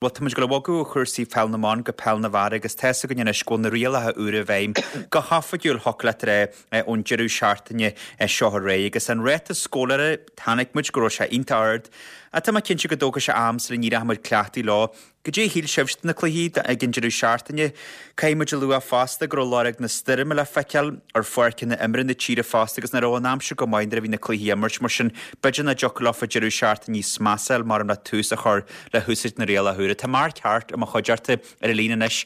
Bhuel, tá muid ag dul a bhogadh ó chúrsaí pheil na mban go peil na bhfear agus tá's againn anois go bhfuil na rialacha úra i bhfeidhm go hoifigiúil, thiocfadh leat a rá, ón deireadh seachtaine seo ar aghaidh. Agus an ráta scórála, chonaic muid go raibh sé iontach ard ach tá mé cinnte go dtógfaidh sé am sula n-éireoidh muid cleachtaithe leo. Goidé a shíl sibhse de na cluichí ag an deireadh seachtaine? Caithfidh muid a lua fosta go raibh lorg na stoirme le feiceáil ar pháirceanna imeartha na tíre fosta agus nach raibh an aimsir go maith nuair a bhí na cluichí á imirt, mar sin b'fhéidir nach dtiocfadh leofa deireadh seachtaine níos measa a fháil mar le tús a chur le húsáid na rialacha úra. Tá Mark Harte i mo chuideachta ar an líne anois.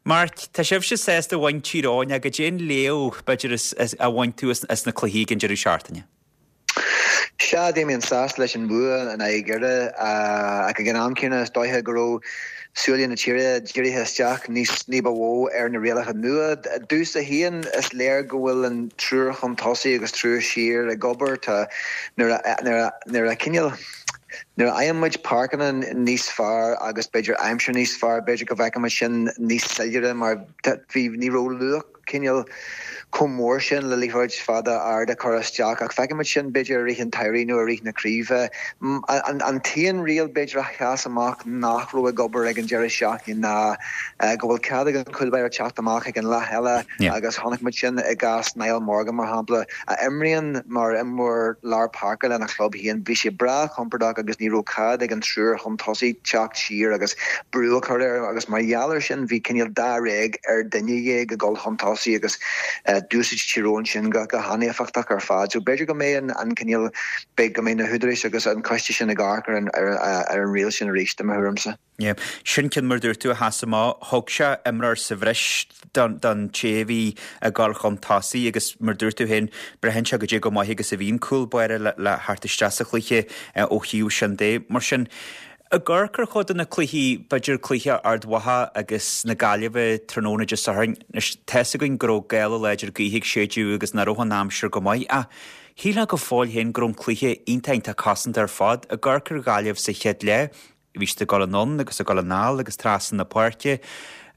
Mark, tá sibhse sásta a bhain Tír Eoghain ach goidé an léamh, b'fhéidir, a bhain tú as na cluichí ag an deireadh seachtaine? Sea, Damien, sásta leis an bhua in aghaidh Dhoire ach ag an am céanna is dóiche go raibh súile na tíre dírithe isteach níos ní ba mhó ar na rialacha nua. Domhsa féin, is léir go bhfuil an triúr chun tosaigh agus triúr siar ag obair. Tá nuair a nuair a nuair a cineál nuair a fhaigheann muid páirceanna níos fearr agus b'fhéidir aimsir níos fearr, b'fhéidir go bhfeicfidh muid sin níos soiléire mar bhí ní raibh luach cineál chomh mór sin le liathróid fada ard a chur isteach ach feicfidh muid sin b'fhéidir i rith an tsamhraidh nó i rith na craoibhe. An t-aon riail b'fhéidir a sheas amach nach raibh ag obair ag an deireadh seachtaine ná go bhfuil cead ag an chúl báire teacht amach ag an leath eile agus chonaic muid sin i gcás Niall Morgan mar shampla a imríonn mar imreoir lár páirce lena chlub féin. Bhí sé breá compordach agus ní raibh cead ag an triúr chun tosaigh teacht siar agus brú a chur air agus mar gheall air sin bhí cineál dáréag ar dhuine dhéag ag dul chun tosaigh agus d'úsáid Tír Eoghain sin go han-éifeachtach ar fad. So b'fhéidir go mbeidh an cineál, beidh, go mbeidh na húdaráis agus an coiste sin ag amharc ar an riail sin arís i mo thuairimse. Yeah. Sin ceann mar dúirt tú a sheas amach. Thug sé imreoir sa bhreis don té a bhí ag dul chun tosaigh agus mar dúirt tú féin, braitheann sé goidé chomh maith agus a bhíonn cúl báire le theacht isteach sa chluiche ó thaobh sin de. Mar sin, ag amharc ar chuid de na cluichí, b'fhéidir cluiche Ard Mhacha agus na Gaillimhe tráthnóna Dé Sathairn, anois tá's againn go raibh gála láidir gaoithe ag séideadh agus nach raibh an aimsir go maith ach shílfeá go fóill féin go raibh an cluiche iontach iontach cosanta ar fad. Ag amharc ar Ghaillimh sa chéad leath, Bhí siad ag dul anonn agus ag dul anall agus trasna na páirce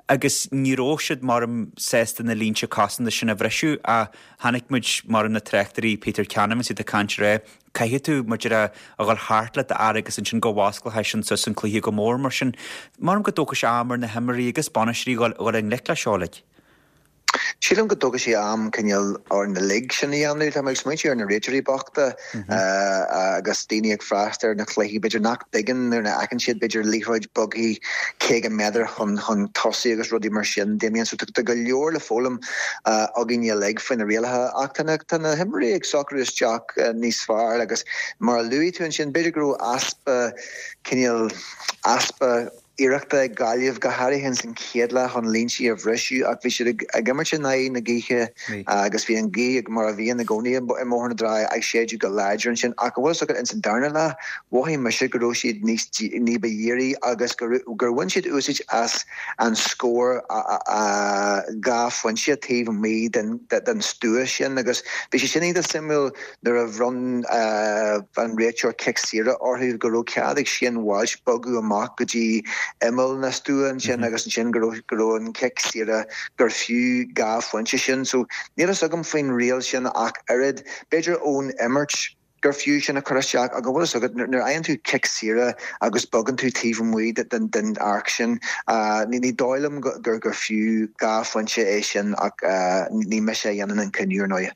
agus ní raibh siad maram sásta na línte cosanta sin a bhriseadh ach chonaic muid maram na tráchtairí Peter Canavan is iad ag caint ag rá caithfidh tú mar a déarfá a dhul thart le d'fhear agus ansin go bhfosclóidh sin suas an cluiche go mór mar sin maram go dtógfaidh sé am ar na himreoirí agus bainisteoirí dhul i ngleic leis seo uilig. Sílim go dtógfaidh sé am cineál orainn uilig sin a dhéanamh. Tá mé ag smaointiú ar na réiteoirí bochta agus daoine ag freastal ar na cluichí, b'fhéidir nach dtuigeann nuair a fheiceann siad b'fhéidir liathróid bogtha 50 méadar chun chun tosaigh agus rudaí mar sin. Damien, so tá go leor le foghlaim againn uilig faoi na rialacha ach tá na tá na himreoirí ag socrú isteach níos fearr agus mar a luaigh tú ansin, b'fhéidir go raibh easpa cineál easpa iarrachta ag Gaillimh, go háirithe ins an chéad leath chun líntí a bhriseadh ach bhí siad ag imirt in aghaidh na gaoithe agus bhí an ghaoth mar a bhíonn i gcónaí i mBóthar na dTrá ag séideadh go láidir ansin ach an bhfuil fhios agat ins an darna leath mhothaigh mise go raibh siad níos ní ba dhírí agus gur bhain siad úsáid as an scór 2 phointe taobh amuigh den stua sin agus bhí sé sin iontach suimiúil Nuair a bhronn an réiteoir cic saoire orthu go raibh cead ag Shane Walsh bogadh amach go dtí imeall na stua ansin agus ansin go raibh go raibh an cic saoire gur fiú 2 phointe sin. So níl fhios agam faoin riail sin ach oiread. B'fhéidir ón imirt gur fiú sin a chur isteach ach an bhfuil fhios agat nuair a fhaigheann tú cic saoire agus bogann tú taobh amuigh den den arc sin ní dóigh liom gur gur fiú 2 phointe é sin ach ní mise a dhéanann an cinneadh ar ndóigh.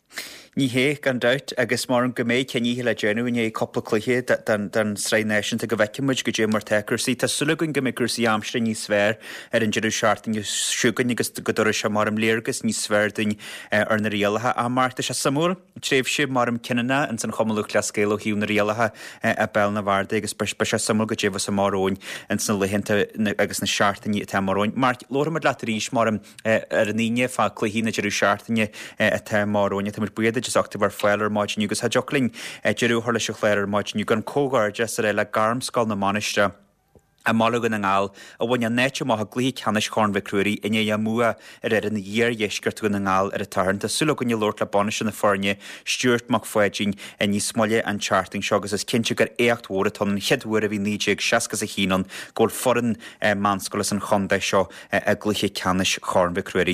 Ní hé, gan dabht, agus maram go mbeidh cinnithe le déanamh i ndiaidh cúpla cluiche den tSraith Náisiúnta go bhfeicfidh muid goidé mar tá cúrsaí. Tá súil againn go mbeidh cúrsaí aimsire níos fearr ar an deireadh seachtaine seo chugainn agus go dtabharfaidh sé maram léargas níos fearr dúinn ar na rialacha. Ach Mark, tá sé suimiúil, tréimhse maram cinniúnach ins an Chumann Lúthchleas Gael ó thaobh na rialacha i bpeil na bhfear de agus beidh sé suimiúil goidé a bheas amach romhainn ins na laethanta agus na seachtainí atá amach romhainn. Mark, labharfaidh muid leat arís maram. ar an Aoine fá cluichí na deireadh seachtaine atá amach romhainn. Tá muid buíoch duit as ucht a bheith ar fáil ar maidin inniu agus cha dtiocfadh linn deireadh a chur leis an chlár ar maidin inniu gan comhghairdeas a rá le Gairmscoil na Mainistreach i mBaile Dhún na nGall a bhain a n-áit amach i gcluiche ceannais Chorn Mhic Ruairí i ndiaidh a mbua ar fhoireann Iardheisceart Dhún na nGall ar an tSatharn. Tá súil againn labhairt le bainisteoir na foirne, Stuart Mac Pháidín, níos moille an tseachtain seo agus is cinnte gur éacht mhór atá ann, an chéad uair ó bhí 1961 ann go bhfuil foireann meánscoile as an chontae seo i gcluiche ceannais Chorn Mhic Ruairí.